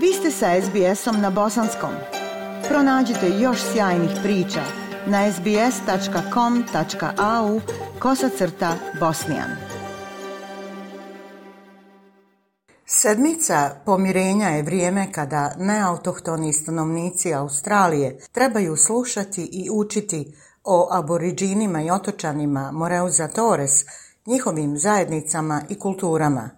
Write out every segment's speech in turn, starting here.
Vi ste sa SBS-om na bosanskom. Pronađite još sjajnih priča na sbs.com.au/bosnijan. Sedmica pomirenja je vrijeme kada neautohtoni stanovnici Australije trebaju slušati i učiti o aboriđinima i otočanima Moreuza Torres, njihovim zajednicama i kulturama.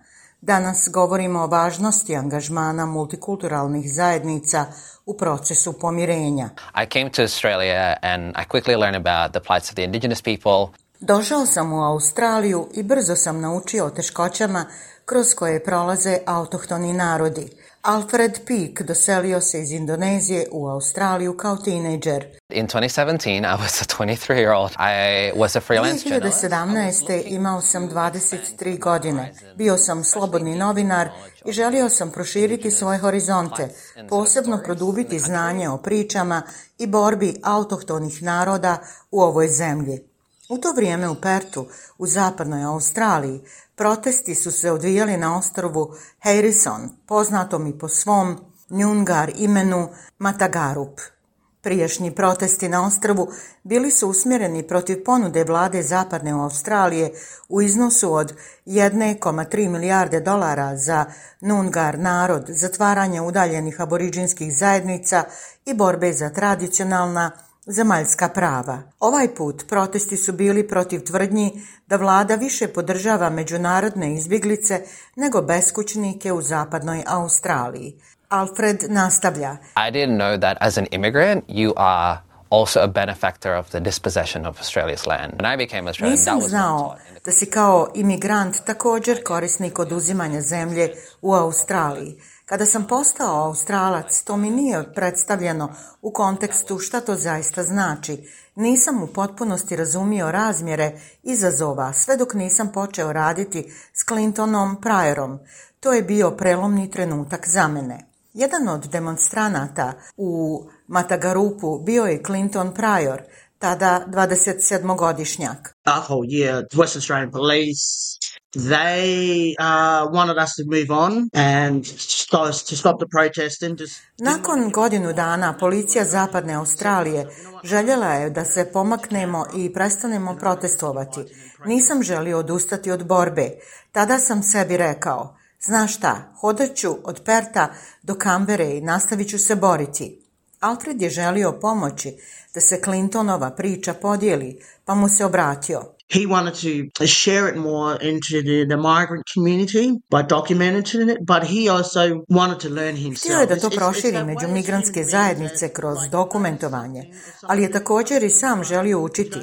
Danas govorimo o važnosti angažmana multikulturalnih zajednica u procesu pomirenja. I came to Australia and I quickly learned about the plights of the indigenous people. Došao sam u Australiju i brzo sam naučio o teškoćama kroz koje prolaze autohtoni narodi. Alfred Peake doselio se iz Indonezije u Australiju kao tinejdžer. In 2017, I was a 23-year-old. I was a freelance journalist. 2017. imao sam 23 godine. Bio sam slobodni novinar i želio sam proširiti svoje horizonte, posebno produbiti znanje o pričama i borbi autohtonih naroda u ovoj zemlji. U to vrijeme u Pertu, u zapadnoj Australiji, protesti su se odvijali na ostrvu Harrison, poznatom i po svom Noongar imenu Matagarup. Prijašnji protesti na ostrvu bili su usmjereni protiv ponude vlade zapadne Australije u iznosu od 1,3 milijarde dolara za Noongar narod, zatvaranje udaljenih aboriđinskih zajednica i borbe za tradicionalna zemaljska prava. Ovaj put protesti su bili protiv tvrdnji da vlada više podržava međunarodne izbjeglice nego beskućnike u zapadnoj Australiji. Alfred nastavlja. I didn't know that as an immigrant you are also a benefactor of the dispossession of Australia's land. When I became Australian, Nisam znao da si kao imigrant također korisnik oduzimanja zemlje u Australiji. Kada sam postao Australac, to mi nije predstavljeno u kontekstu šta to zaista znači. Nisam u potpunosti razumio razmjere izazova, sve dok nisam počeo raditi s Clintonom Pryorom. To je bio prelomni trenutak za mene. Jedan od demonstranata u Matagarupu bio je Clinton Pryor, tada 27-godišnjak. That whole year, the Western Australian Police, they wanted us to move on and to stop the protest. Nakon godinu dana, policija zapadne Australije željela je da se pomaknemo i prestanemo protestovati. Nisam želio odustati od borbe. Tada sam sebi rekao, znaš šta, hodat ću od Perta do Kambere i nastavit ću se boriti. Alfred je želio pomoći da se Clintonova priča podijeli, pa mu se obratio. He wanted to share it more into the migrant community by documenting it, but he also wanted to learn himself. Htio je da to proširi među migrantske zajednice kroz dokumentovanje, ali je također i sam želio učiti.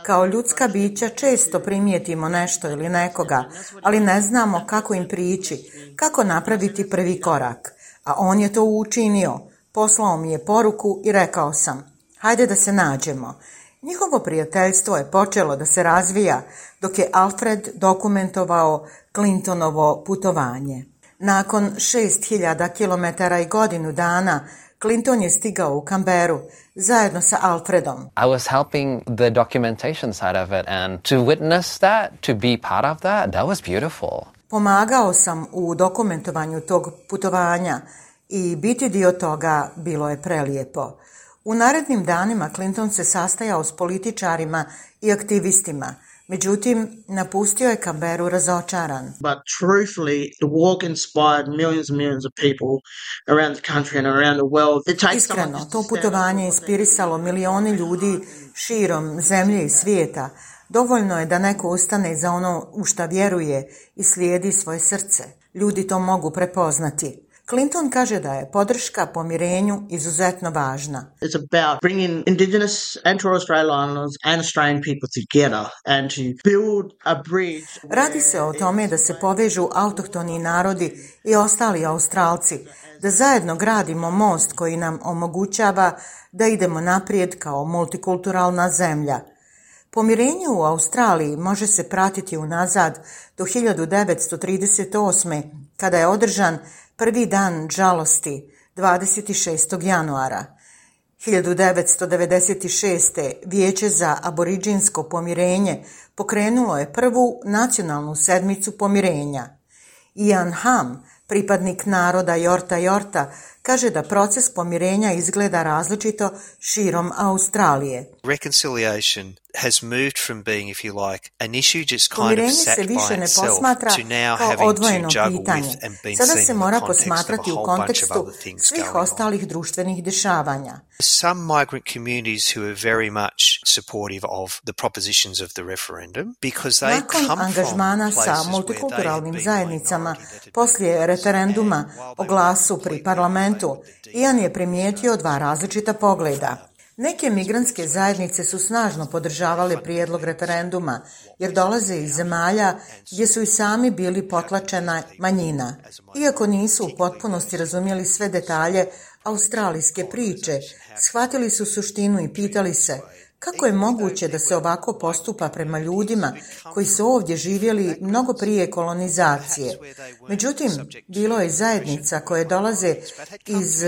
Kao ljudska bića često primijetimo nešto ili nekoga, ali ne znamo kako im prići, kako napraviti prvi korak. A on je to učinio. Poslao mi je poruku i rekao sam, hajde da se nađemo. Njihovo prijateljstvo je počelo da se razvija dok je Alfred dokumentovao Clintonovo putovanje. Nakon 6.000 km i godinu dana, Clinton je stigao u Kamberu zajedno sa Alfredom. I was helping the documentation side of it and to witness that, to be part of that was beautiful. Pomagao sam u dokumentovanju tog putovanja i biti dio toga bilo je prelijepo. U narednim danima Clinton se sastajao s političarima i aktivistima, međutim, napustio je Kamberu razočaran. But truthfully, the walk inspired millions and millions of people around the country and around the world. Iskreno, to putovanje je inspirisalo milioni ljudi širom zemlje i svijeta. Dovoljno je da neko ustane za ono u šta vjeruje i slijedi svoje srce. Ljudi to mogu prepoznati. Clinton kaže da je podrška pomirenju izuzetno važna. It's about bringing Indigenous and Torres Strait Islanders and Australian people together and to build a bridge. Radi se o tome da se povežu autohtoni narodi i ostali Australci, da zajedno gradimo most koji nam omogućava da idemo naprijed kao multikulturalna zemlja. Pomirenje u Australiji može se pratiti unazad do 1938. kada je održan prvi dan žalosti 26. januara. 1996. Vijeće za aboriđinsko pomirenje pokrenulo je prvu nacionalnu sedmicu pomirenja. Ian Hamm, Pripadnik naroda Yorta kaže da proces pomirenja izgleda različito širom Australije. Reconciliation has moved from being, if you like, an issue just kind of sat by itself to now having to juggle with and being Sada seen se in mora the context of a posmatrati u whole bunch of kontekstu other things svih going on. ostalih društvenih dešavanja. Some migrant communities who are very much supportive of the propositions of the referendum because they Nakon come from angažmana places sa where they have multikulturalnim been zajednicama minority that poslije referenduma o glasu pri parlamentu, Ian je primijetio dva različita pogleda. Neke migrantske zajednice su snažno podržavale prijedlog referenduma jer dolaze iz zemalja gdje su i sami bili potlačena manjina. Iako nisu u potpunosti razumjeli sve detalje australijske priče, shvatili su suštinu i pitali se kako je moguće da se ovako postupa prema ljudima koji su ovdje živjeli mnogo prije kolonizacije. Međutim, bilo je zajednica koje dolaze iz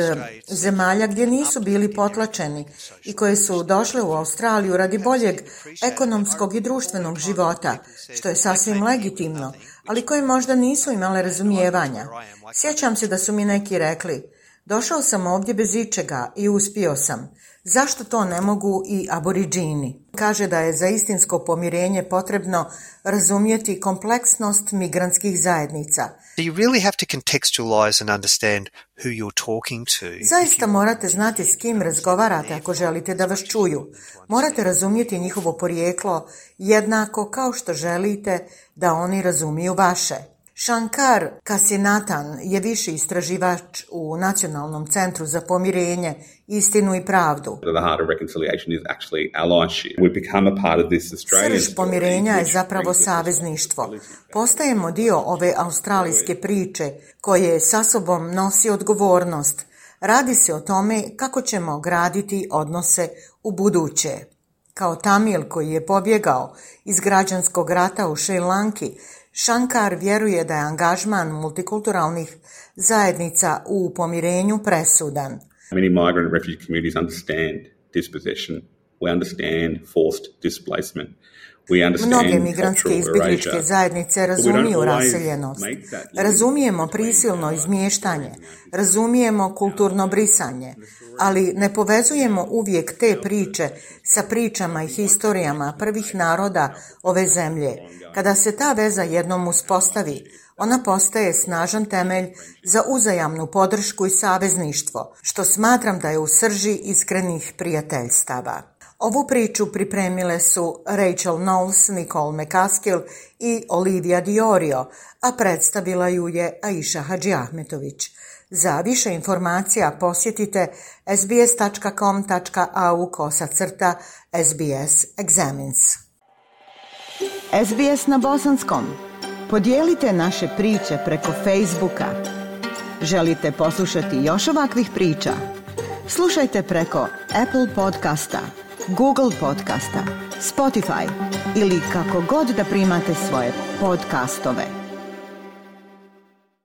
zemalja gdje nisu bili potlačeni i koje su došle u Australiju radi boljeg ekonomskog i društvenog života, što je sasvim legitimno, ali koje možda nisu imale razumijevanja. Sjećam se da su mi neki rekli: došao sam ovdje bez ičega i uspio sam. Zašto to ne mogu i aboriđini? Kaže da je za istinsko pomirenje potrebno razumjeti kompleksnost migrantskih zajednica. You really have to contextualize and understand who you're talking to. Zaista morate znati s kim razgovarate ako želite da vas čuju. Morate razumjeti njihovo porijeklo jednako kao što želite da oni razumiju vaše. Shankar Kasinathan je viši istraživač u Nacionalnom centru za pomirenje, istinu i pravdu. Srž pomirenja je zapravo savezništvo. Postajemo dio ove australijske priče koje sa sobom nosi odgovornost. Radi se o tome kako ćemo graditi odnose u buduće. Kao Tamil koji je pobjegao iz građanskog rata u Šri Lanki, Shankar vjeruje da je angažman multikulturalnih zajednica u pomirenju presudan. Many migrant and refugee communities understand dispossession. We understand forced displacement. Mnoge migrantske izbjegličke zajednice razumiju raseljenost, razumijemo prisilno izmještanje, razumijemo kulturno brisanje, ali ne povezujemo uvijek te priče sa pričama i historijama prvih naroda ove zemlje. Kada se ta veza jednom uspostavi, ona postaje snažan temelj za uzajamnu podršku i savezništvo, što smatram da je u srži iskrenih prijateljstava. Ovu priču pripremile su Rachel Knowles, Nicole McCaskill i Olivia Diorio, a predstavila ju je Aisha Hadžiahmetović. Za više informacija posjetite sbs.com.au/SBS Examines. SBS na bosanskom. Podijelite naše priče preko Facebooka. Želite poslušati još ovakvih priča? Slušajte preko Apple podcasta, Google podcasta, Spotify ili kako god da primate svoje podcastove.